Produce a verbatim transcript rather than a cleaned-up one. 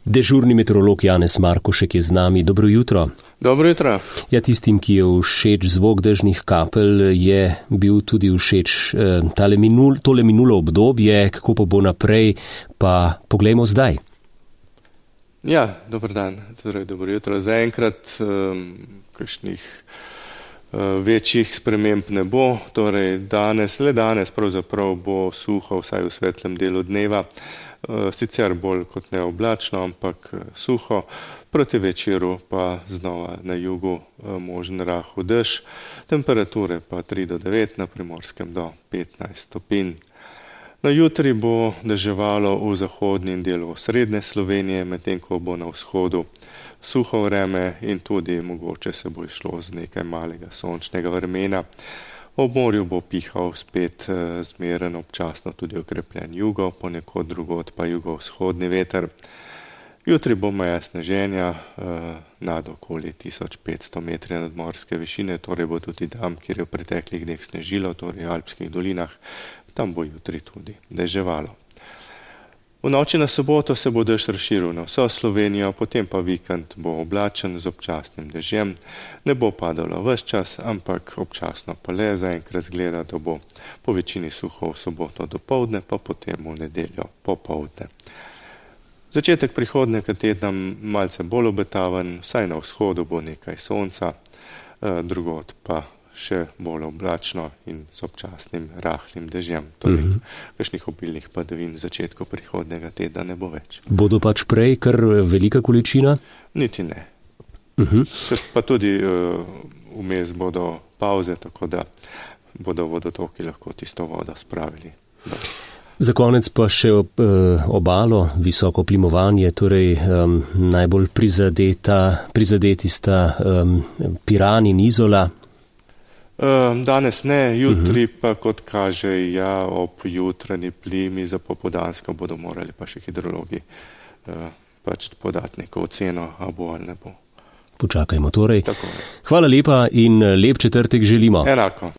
Dežurni meteorolog Janez Markušek je z nami. Dobro jutro. Dobro jutro. Ja, tistim, ki je všeč zvok dežnih kapelj, je bil tudi všeč eh, tale minul, tole minulo obdobje, kako pa bo naprej, pa poglejmo zdaj. Ja, dober dan, torej dobro jutro. Zaenkrat um, kakšnih uh, večjih sprememb ne bo, torej danes, le danes pravzaprav bo suho, vsaj v svetlem delu dneva. Sicer bolj kot ne oblačno, ampak suho, proti večeru pa znova na jugu možen rahel dež, temperature pa tri do devet, na Primorskem do petnajst stopinj. Na jutri bo deževalo v zahodnem delu srednje Slovenije, medtem ko bo na vzhodu suho vreme in tudi mogoče se bo išlo z nekaj malega sončnega vremena. Ob morju bo pihal spet zmeren, občasno tudi okrepljen jugo, ponekod drugod pa jugovzhodni veter. Jutri bo meja sneženja nad okoli tisoč petsto metrov nadmorske višine, torej bo tudi tam, kjer je v preteklih dneh snežilo, torej v Alpskih dolinah, tam bo jutri tudi deževalo. V noči na soboto se bo dež razširil na vso Slovenijo, potem pa vikend bo oblačen z občasnim dežjem. Ne bo padalo ves čas, ampak občasno pa le, zaenkrat zgleda, da bo po večini suho v soboto dopoldne, pa potem v nedeljo popoldne. Začetek prihodnjega tedna malce bolj obetaven, vsaj na vzhodu bo nekaj sonca, drugod pa še bolj oblačno in z občasnim rahlim dežjem. Torej, uh-huh. kakšnih obilnih padavin v začetku prihodnjega tedna ne bo več. Bodo pač prej kar velika količina? Niti ne. Uh-huh. Pa tudi uh, vmes bodo pauze, tako da bodo vodotoki lahko tisto vodo spravili. Da. Za konec pa še ob, eh, obalo, visoko plimovanje, torej um, najbolj prizadeta, prizadeti sta um, Piran in Izola. Danes ne, jutri pa kot kaže, ja, ob jutranji plimi za popoldansko bodo morali pa še hidrologi pač podati neko oceno, a bo ali ne bo. Počakajmo torej. Tako. Hvala lepa in lep četrtek želimo. Enako.